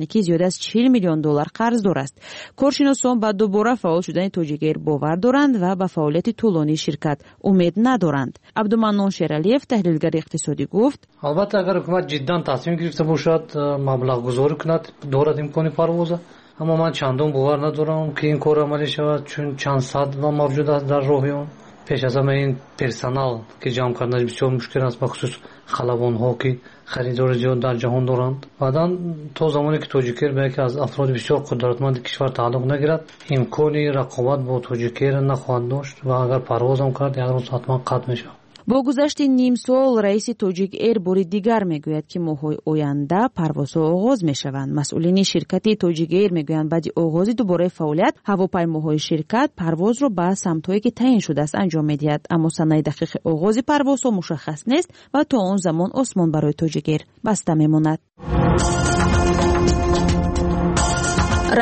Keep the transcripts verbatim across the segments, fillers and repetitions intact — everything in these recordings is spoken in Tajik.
Техникӣ зиёд аз чил миллион доллар қарздор аст. Коршиносон ба дубора фаъол шудани Тоҷик Эйр бовар доранд ва ба фаъолияти тӯлонии ширкат умед надоранд. Абдуманнон Шералиев, таҳлилгари иқтисодӣ, гуфт: Албатта, агар ҳукумат ҷиддан тасмим гирифта бошад, маблағгузорӣ кунад, дорад имкони парвоза. Аммо ман чандон бовар надорам, ки ин кор амалӣ шавад, чун чанд сад ва мавҷуд аст дар роҳи он. Пеш аз ҳама ин персонал, ки ҷамъ карданаш бисёр мушкил аст, бахусус халабонҳо, ки харидори зиёд дар ҷаҳон доранд. Баъдан то замоне ки Тоҷик Эйр ба яке аз афроди бисёр қудратманди кишвар тааллуқ нагирад, имкони рақобат бо Тоҷик Эйр нахоҳад дошт ва агар парвозам кард, як рӯз ҳатман қатъ мешавад. Бо гузашти ним сол раиси Тоҷик Эйр бори дигар мегӯяд, ки моҳҳои оянда парвозҳо оғоз мешаванд. Масъулини ширкати Тоҷик Эйр мегӯянд, баъди оғози дубораи фаъолият ҳавопаймоҳои ширкат парвозро ба самтҳое, ки таъин шудааст, анҷом медиҳад. Аммо санаи дақиқи оғози парвозҳо мушаххас нест ва то он замон осмон барои Тоҷик Эйр баста мемонад.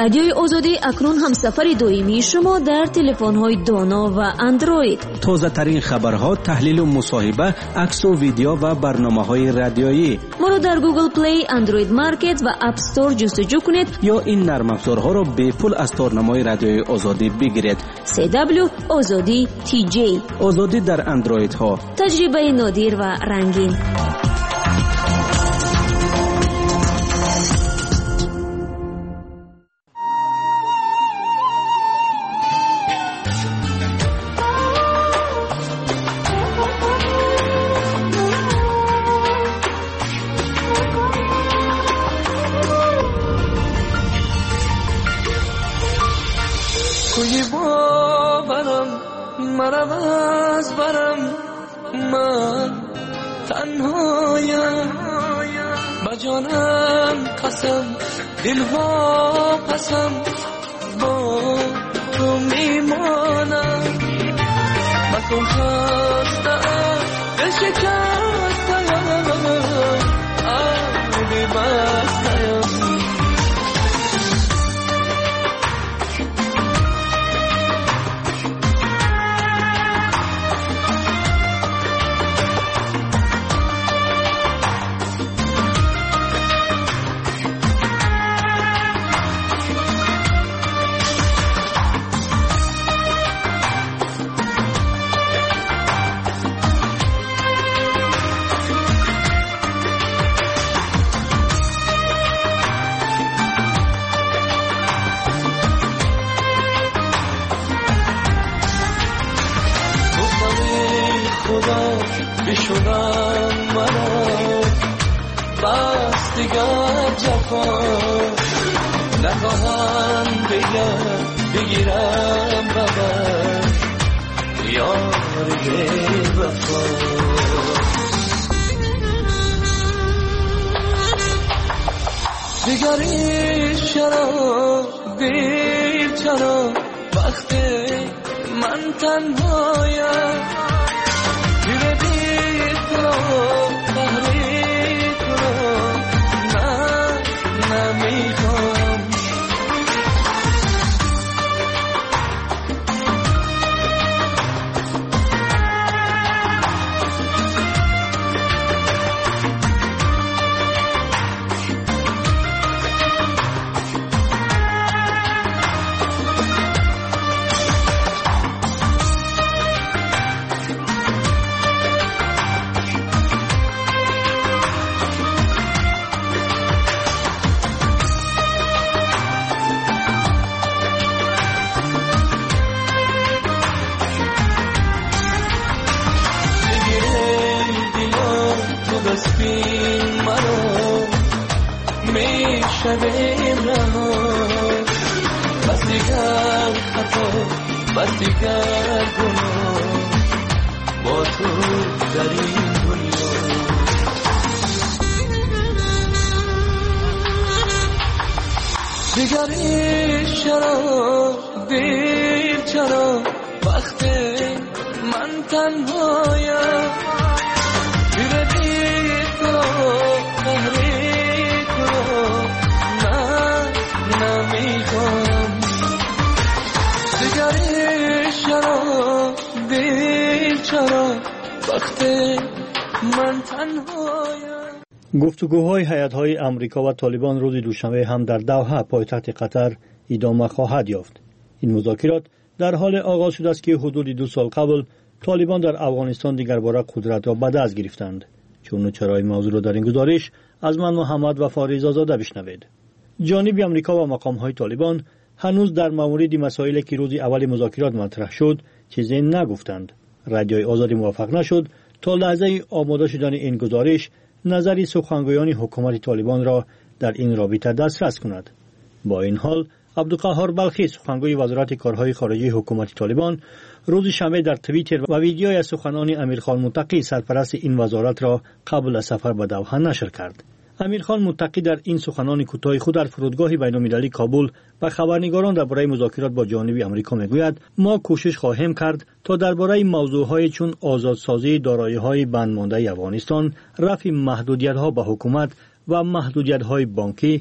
Радиои Озодӣ акнун ҳамсафари доимии шумо дар телефонҳои доно ва Андроид. Тозатарин хабарҳо, таҳлилу мусоҳиба, аксу видео ва барномаҳои радиоӣ. Моро дар Google Play, Android Market ва App Store ҷустуҷӯ кунед ё ин нармафзорҳоро бепул аз торнамои Радиои Озодӣ бигиред. C W Озодӣ T J. Озодӣ дар андроидҳо. Таҷрибаи нодир ва рангин. توی باورم مرم از برم، من تنهایم. به جانم قسم، دل پسم با تو میمانم. مکن خسته، دل شکسته، آبی بسته. بشونم مرا، بس دیگر جفا نخواهم بگم، بگیرم بابا یار وفا. دیگری چرا، دیر چرا، وقت من تنهایم. نمیخوام. میشویم رها، بس دیگر خطا، بس دیگر گناه با تو در این دنیا. دیگری چرا، دیر چرا، وقت من تنهایم. دیر بی تو قهری تو من نمیخوام. دیگری چرا، دیر چرا، وقت من تنهایم. Гуфтугӯҳои ҳайатҳои Амрико ва Толибон рӯзи душанбе ҳам дар Давҳа, пойтахти Қатар, идома хоҳад ёфт. Ин музокирот дар ҳоле оғоз шудааст, ки ҳудуди ду сол қабл Толибон дар Афғонистон дигарбора қудратро ба даст гирифтанд. Чуну чарои мавзӯъро дар ин гузориш аз ман Муҳаммад Вафо Ризозода бишнавед. Ҷониби Амрико ва мақомҳои Толибон ҳанӯз дар мавриди масоиле ки рӯзи аввали музокирот матраҳ шуд чизе нагуфтанд. Радиои Озодӣ муваффақ нашуд то лаҳзаи омода шудани ин гузориш назари сухангӯёни ҳукумати Толибонро дар ин робита дастрас кунад. Бо ин ҳол Абдуқаҳҳор Балхӣ, сухангӯи Вазорати корҳои хориҷии ҳукумати Толибон, рӯзи шанбе дар Твиттер ва видеои аз суханони Амирхон Муттақӣ, сарпарасти ин вазоратро қабл аз сафар ба Давҳа нашр кард. Амирхон Муттақӣ дар ин суханони кӯтоҳи худ дар фурудгоҳи байналмилалии Кобул ба хабарнигорон дар бораи музокирот бо ҷониби Амрико мегӯяд: мо кӯшиш хоҳем кард то дар бораи мавзӯъҳое чун озодсозии дороиҳои бандмондаи Афғонистон, рафъи маҳдудиятҳо ба ҳукумат ва маҳдудиятҳои бонкӣ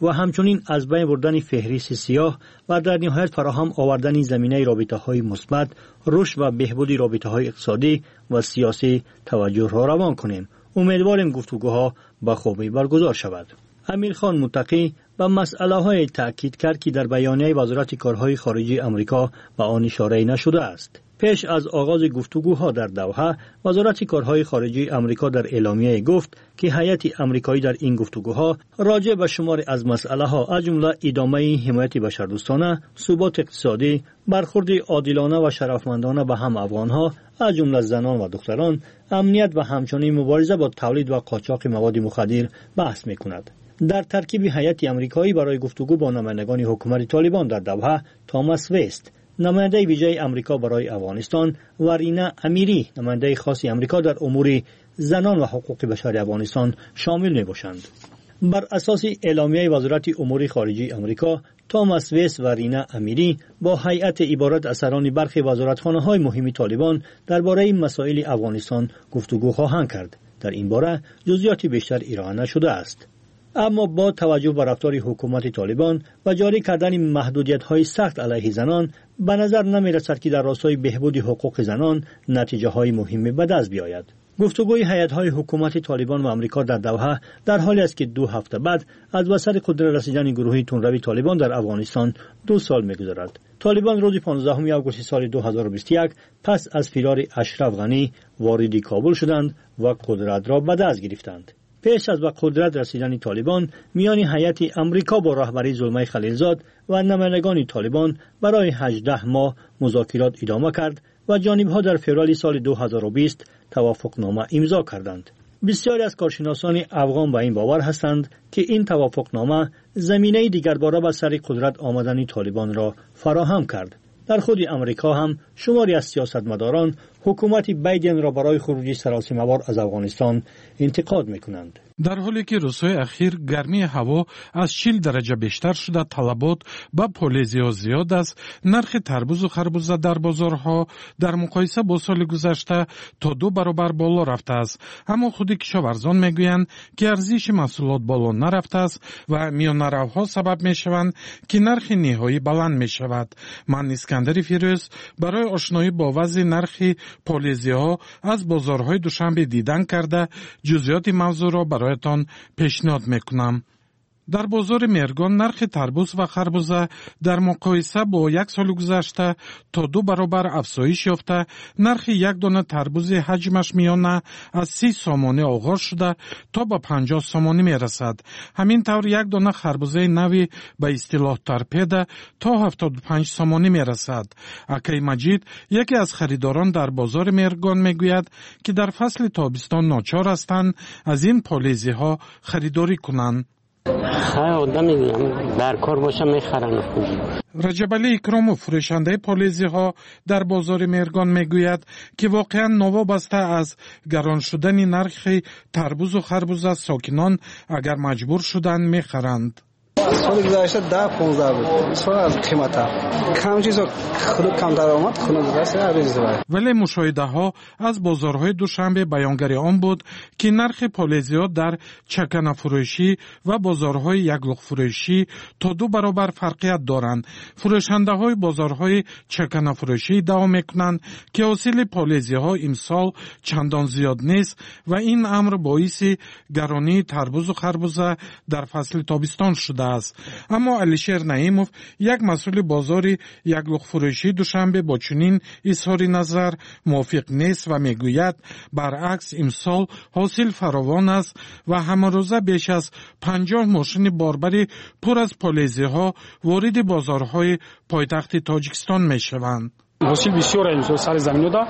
ва ҳамчунин аз байн бурдани феҳристи сиёҳ ва дар ниҳоят фароҳам овардани заминаи робитаҳои мусбат, рушд ва беҳбуди робитаҳои иқтисодӣ ва сиёсӣ таваҷҷӯҳро равон кунем. Умедворем гуфтугӯҳо ба хубӣ баргузор шавад. Амирхон Муттақӣ ба масъалаҳое таъкид кард, ки дар баёнияи Вазорати корҳои хориҷии Амрико ба он ишорае нашудааст. Пеш аз оғози гуфтугӯҳо дар Давҳа, Вазорати корҳои хориҷии Амрико дар эъломияе гуфт, ки ҳайати амрикоӣ дар ин гуфтугӯҳо роҷеъ ба шуморе аз масъалаҳо, аз ҷумла идомаи ҳимояти башардӯстона, суботи иқтисодӣ, бархурди одилона ва шарафмандона ба ҳама афғонҳо, аз ҷумла занон ва духтарон, амният ва ҳамчунин мубориза бо тавлид ва қочоқи маводи мухаддир баҳс мекунад. Дар таркиби ҳайати амрикоӣ барои гуфтугӯ бо намояндагони ҳукумати Толибон дар Давҳа Томас Вест, намояндаи вижаи Амрико барои Афғонистон, ва Рина Амирӣ, намояндаи хоси Амрико дар умури занон ва ҳуқуқи башари Афғонистон шомил мебошанд. Бар асоси эъломияи Вазорати умури хориҷии Амрико, Томас Вест ва Рина Амирӣ бо ҳайати иборат аз сарони бархи вазоратхонаҳои муҳими Толибон дар бораи масоили Афғонистон гуфтугӯ хоҳанд кард. Дар ин бора ҷузъиёти бештар ироа нашудааст. Аммо бо таваҷҷӯҳ ба рафтори ҳукумати Толибон ва ҷорӣ кардани маҳдудиятҳои сахт алайҳи занон, ба назар намерасад, ки дар ростои беҳбуди ҳуқуқи занон натиҷаҳои муҳиме ба даст биёяд. Гуфтугӯи ҳайатҳои ҳукумати Толибон ва Амрико дар Давҳа дар ҳоле аст, ки ду ҳафта баъд аз ба сари қудрат расидани гурӯҳи тундрави Толибон дар Афғонистон ду сол мегузарад. Толибон рӯзи понздаҳуми августи соли ду ҳазору бисту як пас аз фирори Ашраф Ғанӣ вориди Кобул шуданд ва қудратро ба даст гирифтанд. Пеш аз ба қудрат расидани Толибон, миёни ҳайати Амрико бо роҳбарии Зулмай Халилзод ва намояндагони Толибон барои ҳаждаҳ моҳ музокирот идома кард ва ҷонибҳо дар феврали соли ду ҳазору бист тавофуқнома имзо карданд. Бисёре аз коршиносони афғон ба ин бовар ҳастанд, ки ин тавофуқнома заминаи дигарбора ба сари қудрат омадани Толибонро фароҳам кард. Дар худи Амрико ҳам шумори аз сиёсатмадорон ҳукумати Байденро барои хуруҷи саросимавор аз Афғонистон интиқод мекунанд. Дар ҳоле ки рӯзҳои ахир гармии ҳаво аз чил дараҷа бештар шуда, талабот ба полезиҳо зиёд аст, нархи тарбузу харбуза дар бозорҳо дар муқоиса бо соли гузашта то ду баробар боло рафтааст. Аммо худи кишоварзон мегӯянд, ки арзиши маҳсулот боло нарафтааст ва миёнаравҳо сабаб мешаванд, ки нархи ниҳоӣ баланд мешавад. Ман Искандари Фирӯз барои ошноӣ бо вазъи нархи полезиҳо аз бозорҳои Душанбе дидан карда, ҷузъиёти мавзӯъро бароятон пешниҳод мекунам. Дар бозори Меҳргон нархи тарбуз ва харбуза дар муқоиса бо як соли гузашта то ду баробар афзоиш ёфта, нархи як дона тарбузи ҳаҷмаш миёна аз си сомонӣ оғоз шуда то ба панҷоҳ сомонӣ мерасад. Ҳамин тавр як дона харбузаи нави ба истилоҳ торпеда то ҳафтоду панҷ сомонӣ мерасад. Акаи Маҷид, яке аз харидорон дар бозори Меҳргон, мегӯяд, ки дар фасли тобистон ночор ҳастанд аз ин полезиҳо харидорӣ кунанд. Хай, одами дар кор боша мехаранд. Раҷабалӣ Икромов, фурӯшандаи полезиҳо дар бозори Меҳргон, мегӯяд, ки воқеан новобаста аз гарон шудани нархи тарбузу харбуза, сокинон агар маҷбур шуданд мехаранд. Соли гузашта даҳ понздаҳ буд. Имсол аз қиматтар. Кам чизо худ камтар омад, хунук аст, арзон. Вале мушоҳидаҳо аз бозорҳои Душанбе баёнгари он буд, ки нархи полезиҳо дар чаканафурӯшӣ ва бозорҳои яклухтфурӯшӣ то ду баробар фарқият доранд. Фурӯшандаҳои бозорҳои чаканафурӯшӣ иддао мекунанд, ки ҳосили полезиҳо имсол чандон зиёд нест ва ин амр боиси гаронии тарбузу харбуза дар фасли тобистон шудааст. Аммо Алишер Наимов, як масъули бозори яклухтфурӯшии Душанбе, бо чунин изҳори назар мувофиқ нест ва мегӯяд, баръакс имсол ҳосил фаровон аст ва ҳамарӯза беш аз панҷоҳ мошини борбари пур аз полезиҳо вориди бозорҳои пойтахти Тоҷикистон мешаванд. Ҳосил бисёр имсол сари заминода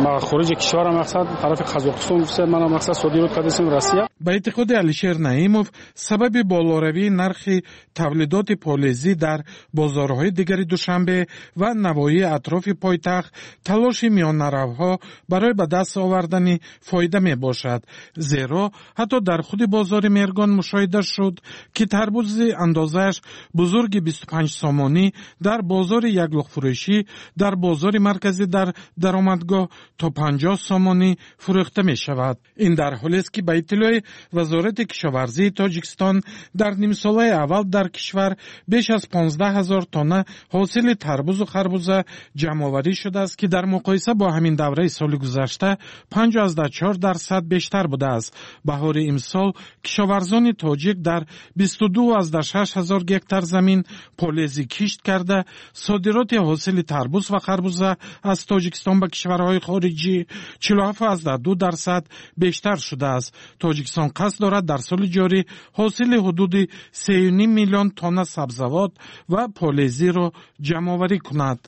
ба хориҷи кишвар мақсад тарафи Қазоқистон мана мақсад содирот кардасем Россия. Ба эътиқоди Алишер Наимов, сабаби болоравии нархи тавлидоти полезӣ дар бозорҳои дигари Душанбе ва навоҳии атрофи пойтахт талоши миёнаравҳо барои ба даст овардани фоида мебошад. Зеро ҳатто дар худи бозори Мергон мушоҳида шуд, ки тарбузи андозааш бузурги бисту панҷ сомонӣ дар бозори яклухтфурӯшӣ дар бозори марказӣ дар даромадгоҳ то панҷоҳ сомонӣ фурӯхта мешавад. Ин дар ҳолест, ки ба иттилои Вазорати кишоварзии Тоҷикистон дар нимсолаи аввал дар кишвар беш аз понздаҳ ҳазор тонна ҳосили тарбузу харбуза ҷамъоварӣ шудааст, ки дар муқоиса бо ҳамин давраи соли гузашта панҷ аз чор дарсад бештар будааст. Баҳори имсол кишоварзони тоҷик дар бисту ду аз шаш ҳазор гектар замин полезӣ кишт карда, содироти ҳосили тарбуз ва харбуза аз Тоҷикистон ба кишварҳои хориҷӣ чилу ҳафт аз ду дарсад бештар шудааст. Тоҷикистон қасд дорад дар соли ҷорӣ ҳосили ҳудуди сею ним миллион тонна сабзавот ва полезиро ҷамъоварӣ кунад.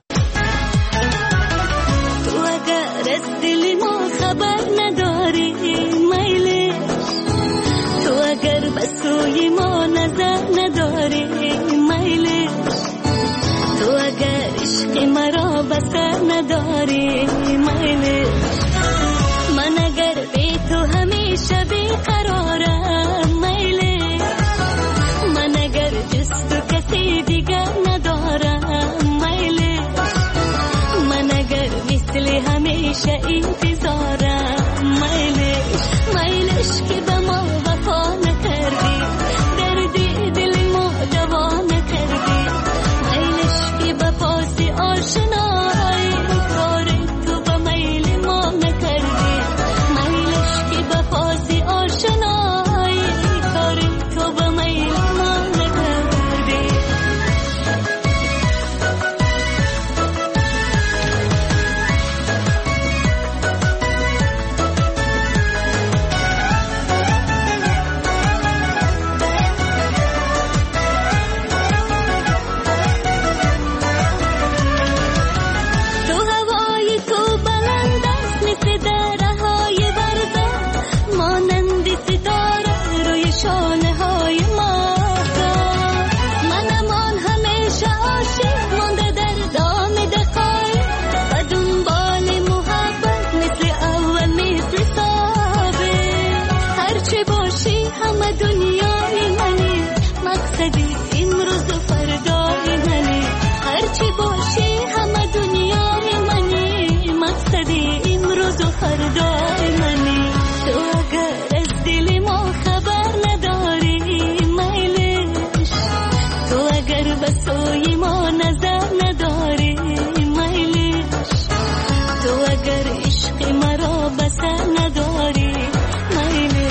Ту агар аз дили мо хабар надорӣ, майлиш, ту агар ба сӯи мо назар надорӣ, майлиш, ту агар ишқи маро ба сар надорӣ, майлиш, ман агар бе ту ҳамеша беқарорам, майлиш, ман агар ҷуз ту касе дигар надорам, майлиш, ман агар мисли ҳамеша интизорам, майлиш, майлиш ки ба мо вафо накардӣ, дарди дили мо даво накардӣ, майлиш ки ба поси ошноӣ кори ту ба майли мо накардӣ, майлиш ки ба поси ошноӣ кори ту ба майли мо накардӣ. Ту ҳавои ту баланд аст мисли дараҳои варза, монанди ситора рӯи шонаҳои моҳтоб. Манам он ҳамеша ошиқ монда дар доми дақоиқ, ба дунболи муҳаббат мисли аввал мисли собиқ. Ҳарчи бошӣ ҳама дунёи мани, мақсади имрӯзу фардои мани. Ҳарчи бошӣ ҳама дунёи мани, мақсади имрӯзу фардои мани. Ту агар аз дили мо хабар надорӣ, майлиш, ту агар ба сӯи мо назар надорӣ, майлиш, ту агар ишқи маро ба сар надорӣ, майлиш.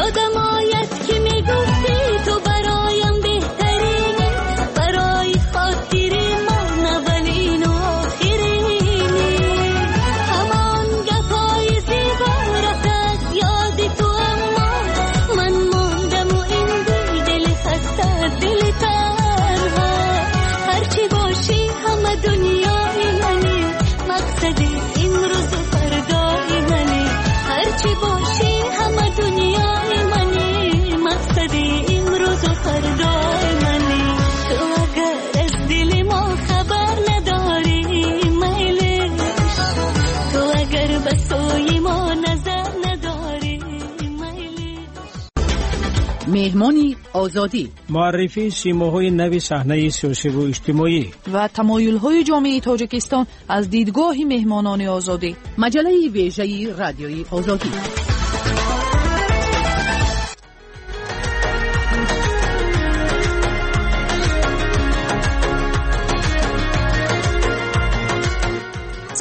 Ёдам ояд ки мегӯ Меҳмони Озодӣ, муаррифии симоҳои нави саҳнаи сиёсиву иҷтимоӣ ва тамоюлҳои ҷомеаи Тоҷикистон аз дидгоҳи меҳмонони Озодӣ. Маҷаллаи вежаи Радиои Озодӣ.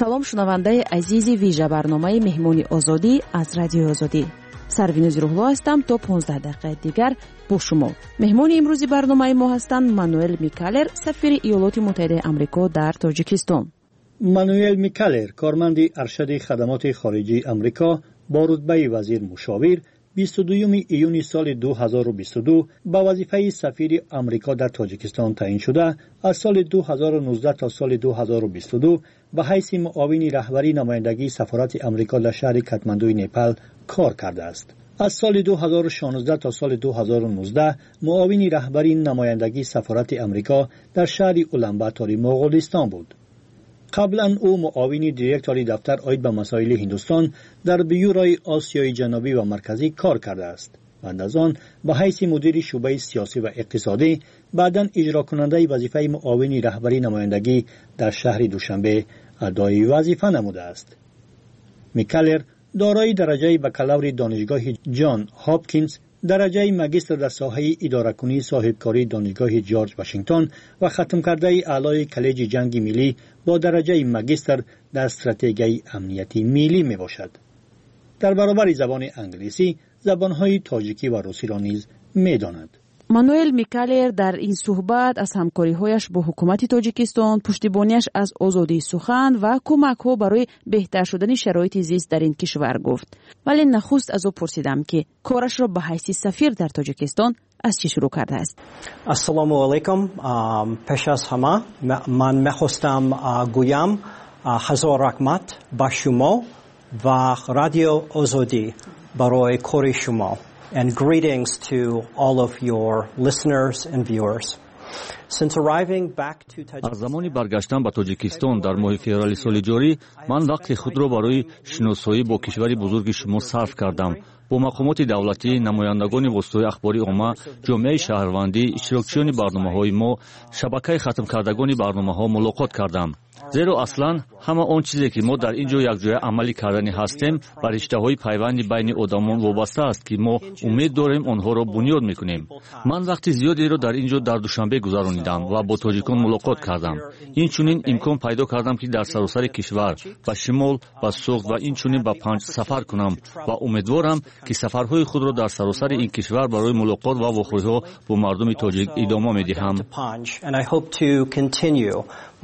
Салом, шунавандаи азизи вижа барномаи Меҳмони Озодӣ аз Радиои Озодӣ. Сарвинози Рӯҳло ҳастам то понздаҳ дақиқаи дигар бо шумо. Меҳмони имрӯзи барномаи мо ҳастанд Мануэл Микалер, сафири Иёлоти Муттаҳидаи Амрико дар Тоҷикистон. Мануэл Микалер, корманди аршади хадамоти хориҷии Амрико бо рутбаи вазир мушовир, бисту дуюми июни соли ду ҳазору бисту ду ба вазифаи сафири Амрико дар Тоҷикистон таъин шуда, аз соли ду ҳазору нуздаҳ то соли ду ҳазору бисту ду ба ҳайси муовини раҳбарии намояндагии сафорати Амрико дар шаҳри Катмандуи Непал кор кардааст. Аз соли ду ҳазору шонздаҳ то соли ду ҳазору нуздаҳ муовини раҳбарии намояндагии сафорати Амрико дар шаҳри Уланбатори Моғолистон буд. Қаблан ӯ муовини директори дафтар оид ба масоили Ҳиндустон дар бюрои Осиёи Ҷанубӣ ва Марказӣ кор кардааст. Баъд аз он ба ҳайси мудири шӯъбаи сиёсӣ ва иқтисодӣ, баъдан иҷрокунандаи вазифаи муовини раҳбарии намояндагӣ дар шаҳри Душанбе адои вазифа намудааст. Микалер дорои дараҷаи бакалаври донишгоҳи Ҷон Ҳопкинс, дараҷаи магистр дар соҳаи идоракунии соҳибкории донишгоҳи Ҷорҷ Вашингтон ва хатмкардаи аълои коллеҷи ҷанги миллӣ бо дараҷаи магистр дар стратегияи амнияти миллӣ мебошад. Дар баробари забони англисӣ забонҳои тоҷикӣ ва русиро низ медонад. Мануэл Микалер дар ин суҳбат аз ҳамкориҳояш бо ҳукумати Тоҷикистон, пуштибониаш аз озодии сухан ва кӯмакҳо барои беҳтар шудани шароити зист дар ин кишвар гуфт. Вале нахуст аз ӯ пурсидам, ки корашро ба ҳайси сафир дар Тоҷикистон аз чӣ шурӯъ кардааст. Ассалому алайкум. Пеш аз ҳама ман мехостам гӯям ҳазор раҳмат ба шумо ва Радио Озодӣ барои кори шумо. And greetings to all of your listeners and viewers. Since arriving back to Tajikistan, аз замони баргаштан ба Тоҷикистон дар моҳи феврали соли ҷорӣ ман вақти худро барои шиносоӣ бо кишвари бузурги шумо сарф кардам. Бо мақомоти давлатӣ, намояндагони воситаҳои ахбори омма, ҷомеаи шаҳрвандӣ, иштирокчиёни барномаҳои мо, шабакаи хатмкардагони барномаҳо мулоқот кардам. Зеро аслан ҳама он чизе ки мо дар ин ҷо якҷоя амалӣ кардани ҳастем, ба риштаҳои пайванди байни одамон вобаста аст, ки мо умед дорем онҳоро бунёд мекунем. Ман вақти зиёдеро дар ин ҷо дар Душанбе гузаронидам ва бо тоҷикон мулоқот кардам. Инчунин имкон пайдо кардам, ки дар саросари кишвар ба шимол, ба Суғд ва инчунин ба Панҷ сафар кунам ва умедворам, ки сафарҳои худро дар саросари ин кишвар барои мулоқот ва вохӯриҳо бо мардуми тоҷик идома медиҳам.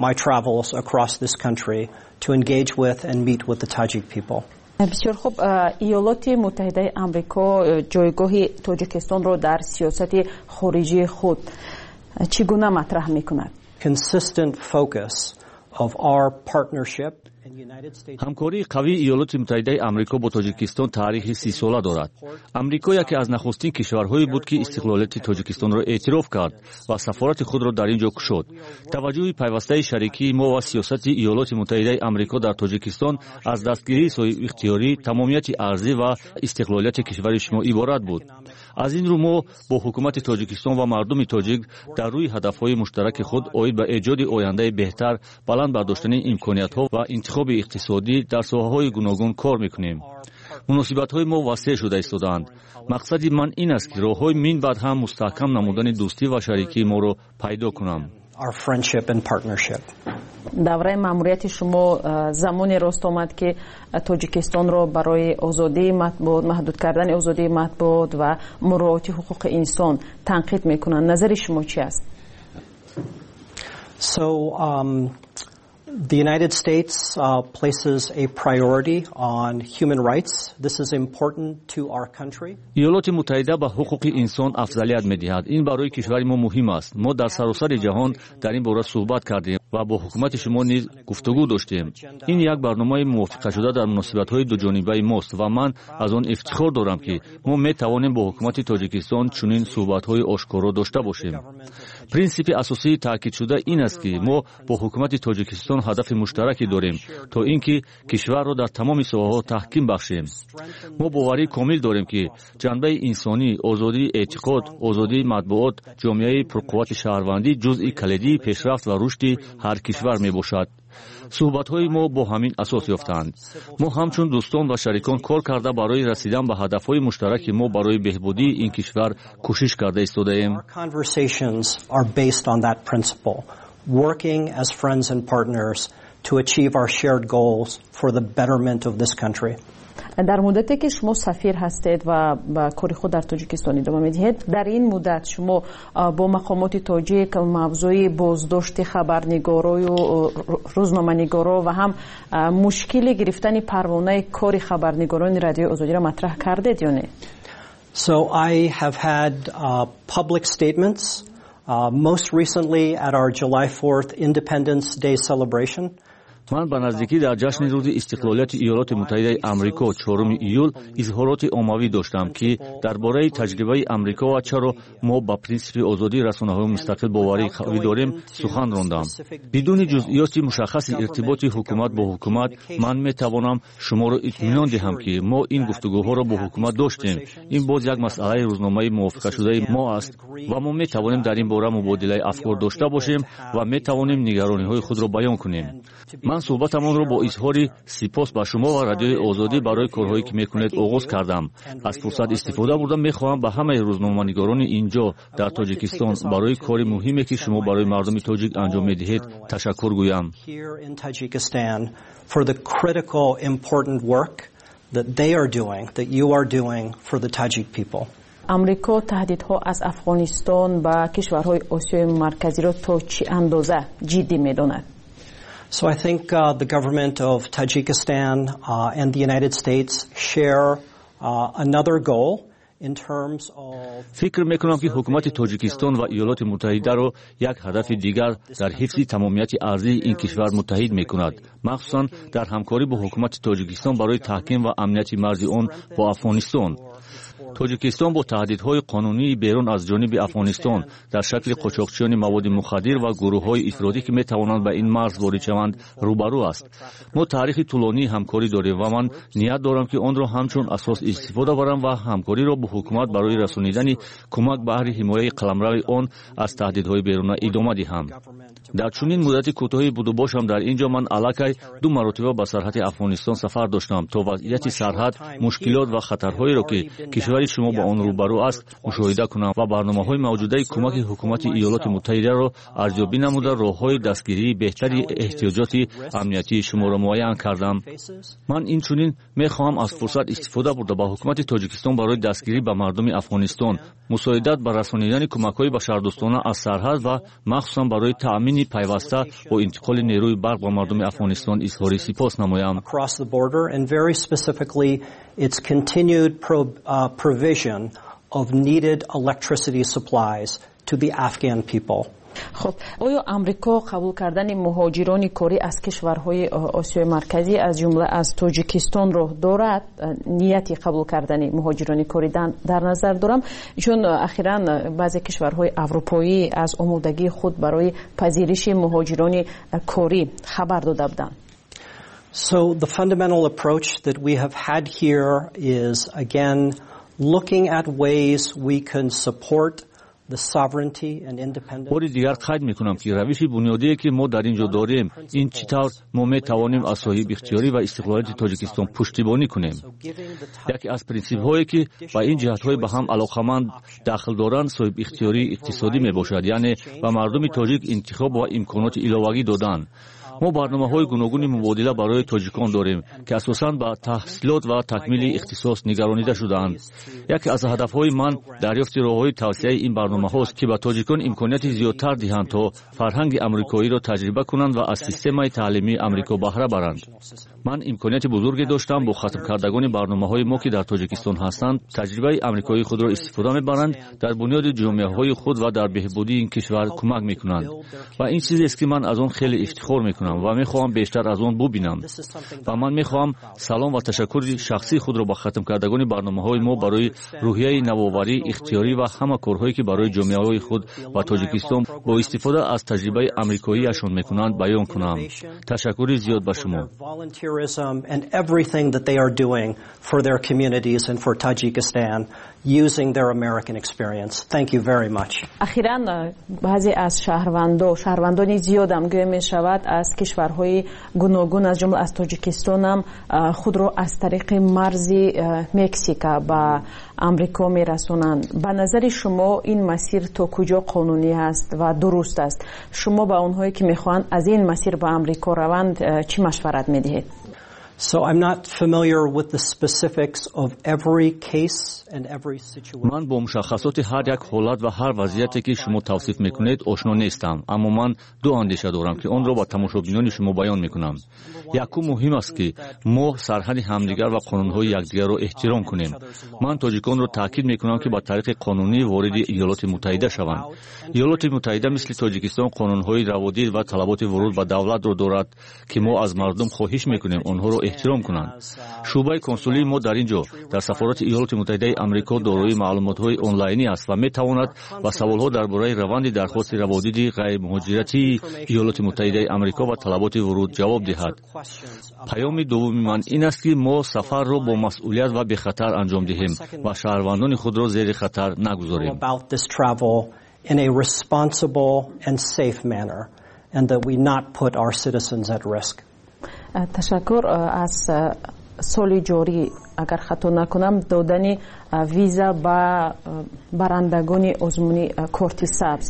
My travels across this country to engage with and meet with the Tajik people. Бисёр хуб. Иёлоти Муттаҳидаи Амрико ҷойгоҳи Тоҷикистонро дар сиёсати хориҷии худ чӣ гуна матраҳ мекунад? Consistent focus of our partnership. Ҳамкории қавии Иёлоти Муттаҳидаи Амрико бо Тоҷикистон таърихи сисола дорад. Амрико яке аз нахустин кишварҳое буд, ки истиқлолияти Тоҷикистонро эътироф кард ва сафорати худро дар ин ҷо кушод. Таваҷҷӯҳи пайвастаи шарикии мо ва сиёсати Иёлоти Муттаҳидаи Амрико дар Тоҷикистон аз дастгирии соҳибихтиёрӣ, тамомияти арзӣ ва истиқлолияти кишвари шумо иборат буд. Аз ин рӯ мо бо ҳукумати Тоҷикистон ва мардуми тоҷик дар рӯи ҳадафҳои муштараки худ оид ба эҷоди ояндаи беҳтар, баланд бардоштани имкониятҳо ва интихоби иқтисодӣ дар соҳаҳои гуногун кор мекунем. Муносибатҳои мо васеъ шуда истодаанд. Мақсади ман ин аст, ки роҳҳои минбаъд ҳам мустаҳкам намудани дӯстӣ ва шарикии моро пайдо кунам. Давраи маъмурияти шумо замоне рост омад, ки Тоҷикистонро барои озодии матбуот, маҳдуд кардани озодии матбуот ва муроати ҳуқуқи инсон танқид мекунанд. Назари шумо чи аст? So, um, the United States uh, places a priority on human rights. This is important to our country. Иёлоти Муттаҳида ба ҳуқуқи инсон афзалият медиҳад. Ин барои кишвари мо муҳим аст. Мо дар саросари ҷаҳон дар ин бора суҳбат кардем Ва бо ҳукумати шумо низ гуфтугӯ доштем. Ин як барномаи мувофиқашуда дар муносибатҳои дуҷонибаи мост ва ман аз он ифтихор дорам, ки мо метавонем бо ҳукумати Тоҷикистон чунин суҳбатҳои ошкоро дошта бошем. Принсипи асосии таъкидшуда ин аст, ки мо бо ҳукумати Тоҷикистон ҳадафи муштараке дорем, то ин ки кишварро дар тамоми соҳаҳо таҳким бахшем. Мо боварии комил дорем, ки ҷанбаи инсонӣ, озодии эътиқод, озодии матбуот, ҷомеаи пурқуввати шаҳрвандӣ ҷузъи калидии пешрафт ва рушди ҳар кишвар мебошад. Суҳбатҳои мо бо ҳамин асос ёфтаанд. Мо ҳамчун дӯстон ва шарикон кор карда, барои расидан ба ҳадафҳои муштараки мо барои беҳбудии ин кишвар кӯшиш карда истодаем. Working as friends and partners to achieve our shared goals for the betterment of this country. Дар муддате ки шумо сафир ҳастед ва ба кори худ дар Тоҷикистон идома медиҳед, дар ин муддат шумо бо мақомоти тоҷик мавзӯи боздошти хабарнигорою рӯзноманигоро ва ҳам мушкили гирифтани парвонаи кори хабарнигорони Радиои Озодиро матраҳ кардед ё не? So I have had uh, public statements, uh, most recently at our July fourth Independence Day celebration. Ман ба наздикӣ дар ҷашни рӯзи истиқлолияти Иёлоти Муттаҳидаи Амрико, чоруми июл, изҳороти оммавӣ доштам, ки дар бораи таҷрибаи Амрико ва чаро мо ба принсипи озодии расонаҳои мустақил боварии қавӣ дорем сухан рондам. Бидуни ҷузъиёти мушаххаси иртиботи ҳукумат бо ҳукумат, ман метавонам шуморо итминон диҳам, ки мо ин гуфтугӯҳоро бо ҳукумат доштем. Ин боз як масъалаи рӯзномаи мувофиқашудаи мо аст ва мо метавонем дар ин бора мубодилаи афкор дошта бошем ва метавонем нигарониҳои худро баён кунем. Ман суҳбатамонро бо изҳори сипос ба шумо ва Радиои Озодӣ барои корҳое ки мекунед оғоз кардам. Аз фурсат истифода бурда, мехоҳам ба ҳамаи рӯзноманигорони ин ҷо дар Тоҷикистон барои кори муҳиме, ки шумо барои мардуми тоҷик анҷом медиҳед, ташаккур гӯям. For the critical, important work that they are doing, that you are doing for the Tajik people. Амрико таҳдидҳо аз Афғонистон ба кишварҳои Осиёи Марказиро то чӣ андоза ҷиддӣ медонад? So I think uh, the government of Tajikistan uh, and the United States share uh, another goal. Фикр мекунам, ки ҳукумати Тоҷикистон ва Иёлоти Муттаҳидаро як ҳадафи дигар дар ҳифзи тамомияти арзии ин кишвар муттаҳид мекунад, махсусан дар ҳамкорӣ бо ҳукумати Тоҷикистон барои таҳким ва амнияти марзи он бо Афғонистон. Тоҷикистон бо таҳдидҳои қонунии берун аз ҷониби Афғонистон дар шакли қочоқчиёни маводи мухаддир ва гурӯҳҳои ифротӣ, ки метавонанд ба ин марз ворид шаванд, рӯбарӯ аст. Мо таърихи тӯлонии ҳамкорӣ дорем ва ман ният дорам, ки онро ҳамчун асос истифода барам ва ҳамкориро бо ҳукумат барои расонидани кӯмак баҳри ҳимояи қаламрави он аз таҳдидҳои беруна идома диҳам. Дар чунин муддати кӯтоҳи будубошам дар ин ҷо ман аллакай ду маротиба ба сарҳади Афғонистон сафар доштам, то вазъияти сарҳад, мушкилот ва хатарҳоеро, ки кишвари шумо ба он рӯбарӯ аст, мушоҳида кунам ва барномаҳои мавҷудаи кӯмаки ҳукумати Иёлоти Муттаҳидаро арзёбӣ намуда, роҳҳои дастгирии беҳтари эҳтиёҷоти амниятии шуморо муайян кардам. Ман инчунин мехоҳам аз фурсат истифода бурда, ба ҳукумати Тоҷикистон барои дастгирӣ ба мардуми Афғонистон, мусоидат ба расонидани кӯмакҳои башардӯстона аз сарҳад ва махсусан барои таъмини пайваста бо интиқоли нерӯи барқ ба мардуми Афғонистон изҳори сипос намоям. Its continued pro, uh, provision of needed electricity supplies to the Afghan people. Хуб, оё Амрико қабул кардани муҳоҷирони корӣ аз кишварҳои Осиёи Марказӣ, аз ҷумла аз Тоҷикистонро дорад? Нияти қабул кардани муҳоҷирони корӣ дар назар дорам, чун ахиран баъзе кишварҳои аврупоӣ аз омодагии худ барои пазириши муҳоҷирони корӣ хабар дода буданд. So the fundamental approach that we have had here is, again, looking at ways we can support. Бори дигар қайд мекунам, ки равиши бунёдие, ки мо дар ин ҷо дорем, ин чӣ тавр мо метавонем аз соҳибихтиёрӣ ва истиқлолияти Тоҷикистон пуштибонӣ кунем. Яке аз принсипҳое, ки ба ин ҷиҳатҳои ба ҳам алоқаманд дахл доранд, соҳибихтиёрии иқтисодӣ мебошад, яъне ба мардуми тоҷик интихоб ва имконоти иловагӣ додан. Мо барномаҳои гуногуни мубодила барои тоҷикон дорем, ки асосан ба таҳсилот ва такмили ихтисос нигаронида шудаанд. Яке аз ҳадафҳои ман дарёфти роҳҳои тавсеаи ин барномаҳост, ки ба тоҷикон имконияти зиёдтар диҳанд, то фарҳанги амрикоиро таҷриба кунанд ва аз системаи таълимии Амрико баҳра баранд. Ман имконияти бузурге доштам бо хатмкардагони барномаҳои мо, ки дар Тоҷикистон ҳастанд, таҷрибаи амрикоии худро истифода мебаранд, дар бунёди ҷомеаҳои худ ва дар беҳбудии ин кишвар кӯмак мекунанд. Ва ин чизест, ки ман аз он хеле ифтихор мекунам ва мехоҳам бештар аз он бубинам. Ва ман мехоҳам салом ва ташаккури шахсии худро ба хатмкардагони барномаҳои мо барои рӯҳияи навоварӣ, ихтиёрӣ ва ҳама корҳое, ки барои ҷомеаҳои худ ва Тоҷикистон бо истифода аз таҷрибаи амрикоияшон мекунанд, баён кунам. Ташаккури зиёд ба шумо. And everything that they are doing for their communities and for Tajikistan using their American experience. Thank you very much. Ахиран, баъзе аз шаҳрвандо, шаҳрвандони зиёдам гӯя мешавад, аз кишварҳои гуногун, аз ҷумла аз Тоҷикистонам, худро аз тариқи марзи Мексика ба Амрико мерасонанд. Ба назари шумо, ин масир то куҷо қонунӣ аст ва дуруст аст? Шумо ба онҳое, ки мехоҳанд аз ин масир ба Амрико раванд, чӣ машварат медиҳед? So I'm not familiar with the specifics of every case and every situation. Ман бо мушаххасоти ҳар як ҳолат ва ҳар вазъияте, ки шумо тавсиф мекунед, ошно нестам, аммо ман ду андеша дорам, ки онро ба тамошобинони шумо баён мекунам. Якум, муҳим аст, ки мо сарҳади ҳамдигар ва қонунҳои якдигарро эҳтиром кунем. Ман тоҷиконро таъкид мекунам, ки ба тариқи қонунӣ вориди Иёлоти Муттаҳида шаванд. Иёлоти Муттаҳида мисли Тоҷикистон қонунҳои раводид ва талаботи вуруд ба давлатро дорад, ки мо аз мардум хоҳиш мекунем онҳоро эҳтиром кунанд. Шӯъбаи консулии мо дар ин ҷо, дар сафорати Иёлоти Муттаҳидаи Амрико, дорои маълумотҳои онлайнӣ аст ва метавонад ба саволҳо дар бораи раванди дархости раводиди ғайримуҳоҷиратии Иёлоти Муттаҳидаи Амрико ва талаботи вуруд ҷавоб диҳад. Паёми дуввуми ман ин аст, ки мо сафарро бо масъулият ва бехатар анҷом диҳем ва шаҳрвандони худро зери хатар нагузорем. In a responsible and safe manner, and that we not put our citizens at risk. Ташаккур. Аз соли ҷорӣ, агар хато накунам, додани виза ба барандагони озмуни Корти сабз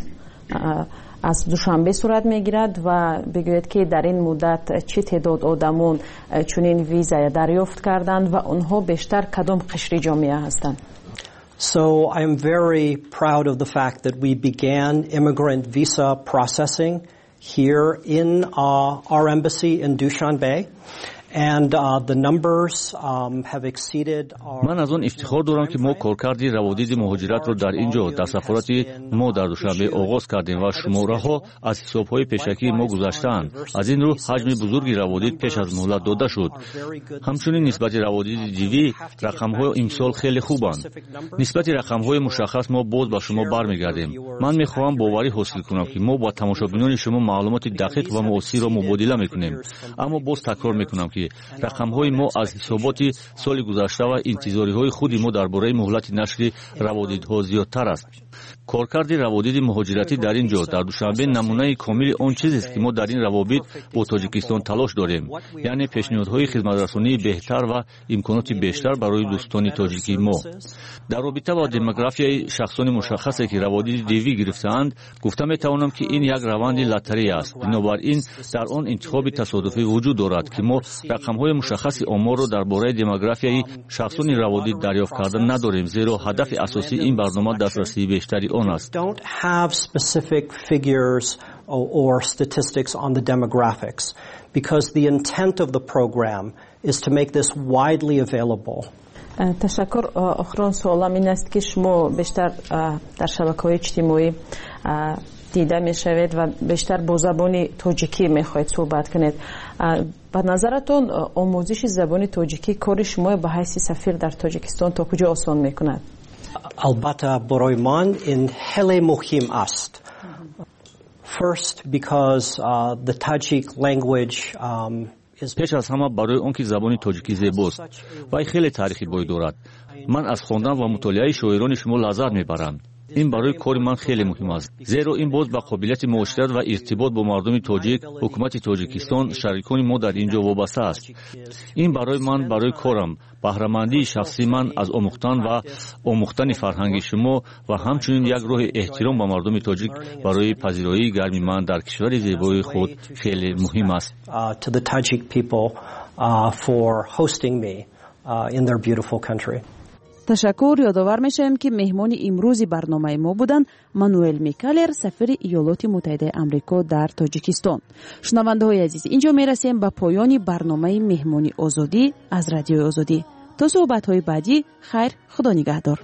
аз Душанбе сурат мегирад ва бигӯед, ки дар ин муддат чӣ теъдод одамон чунин виза дарёфт карданд ва онҳо бештар кадом қишри ҷомеа ҳастанд? So I am very proud of the fact that we began immigrant visa processing here in uh, our embassy in Dushanbe. And uh, the numbers um, have exceeded our Ман аз он ифтихор дорам, ки мо коркарди раводиди муҳоҷиратро дар ин ҷо, дар сафорати мо дар Душанбе, оғоз кардем ва шумораҳо аз ҳисобҳои пешакии мо гузаштаанд. Аз ин рӯ ҳаҷми бузурги раводид пеш аз муҳлат дода шуд. Ҳамчунин, нисбати раводиди D V рақамҳо имсол хеле хубанд. Нисбати рақамҳои мушаххас мо боз ба шумо бармегардем. Ман мехоҳам боварӣ ҳосил кунам, ки мо ба тамошобинони шумо маълумоти дақиқ ва муосирро мубодила мекунем, аммо боз такрор мекунам, ки рақамҳои мо аз ҳисоботи соли гузашта ва интизориҳои худи мо дар бораи муҳлати нашри раводидҳо зиёдтар аст. Коркарди раводиди муҳоҷиратӣ дар ин ҷо, дар Душанбе, намунаи комили он чизест, ки мо дар ин равобит бо Тоҷикистон талош дорем, яъне пешниҳодҳои хизматрасонии беҳтар ва имконоти бештар барои дӯстони тоҷикии мо. Дар робита бо демографияи шахсони мушаххасе, ки раводиди D V гирифтаанд, гуфта метавонам, ки ин як раванди лотарея аст. Бинобар ин дар он интихоби тасодуфӣ вуҷуд дорад, ки мо рақамҳои мушаххаси оморро дар бораи демографияи шахсони раводид дарёфт карда надорем, зеро ҳадафи асосии ин барнома дастрасии бештари он аст. Don't have specific figures or statistics on the demographics because the intent of the program is to make this widely available. Ташаккур. Охирон суолам ин аст, ки шумо бештар дар шабакаҳои иҷтимоӣ дида мешавед ва бештар бо забони тоҷикӣ мехоҳед суҳбат кунед. Ба назаратон, омӯзиши забони тоҷикӣ кори шумо ба ҳайси сафир дар Тоҷикистон то куҷо осон мекунад? Албатта, барои ман ин хеле муҳим аст. First, because uh, the Tajik language um, Пеш аз ҳама барои он ки забони тоҷикӣ зебост. Вай хеле таърихи бой дорад. Ман аз хондан ва мутолиаи шоирони шумо лаззат мебарам. Ин барои кори ман хеле муҳим аст, зеро ин боз ба қобилияти муошират ва иртибот бо мардуми тоҷик, ҳукумати Тоҷикистон, шарикони мо дар ин ҷо вобаста аст. Ин барои ман, барои корам, баҳрамандии шахсии ман аз омӯхтан ва омӯхтани фарҳанги шумо ва ҳамчунин як роҳи эҳтиром ба мардуми тоҷик барои пазироии гарми ман дар кишвари зебои худ хеле муҳим аст. Ташаккур. Ёдовар мешавем, ки меҳмони имрӯзи барномаи мо буданд Мануэл Микалер, сафири Иёлоти Муттаҳидаи Амрико дар Тоҷикистон. Шунавандаҳои азиз, инҷо мерасем ба поёни барномаи Меҳмони Озодӣ аз Радиои Озодӣ. То суҳбатҳои баъдӣ, хайр, Худо нигаҳдор.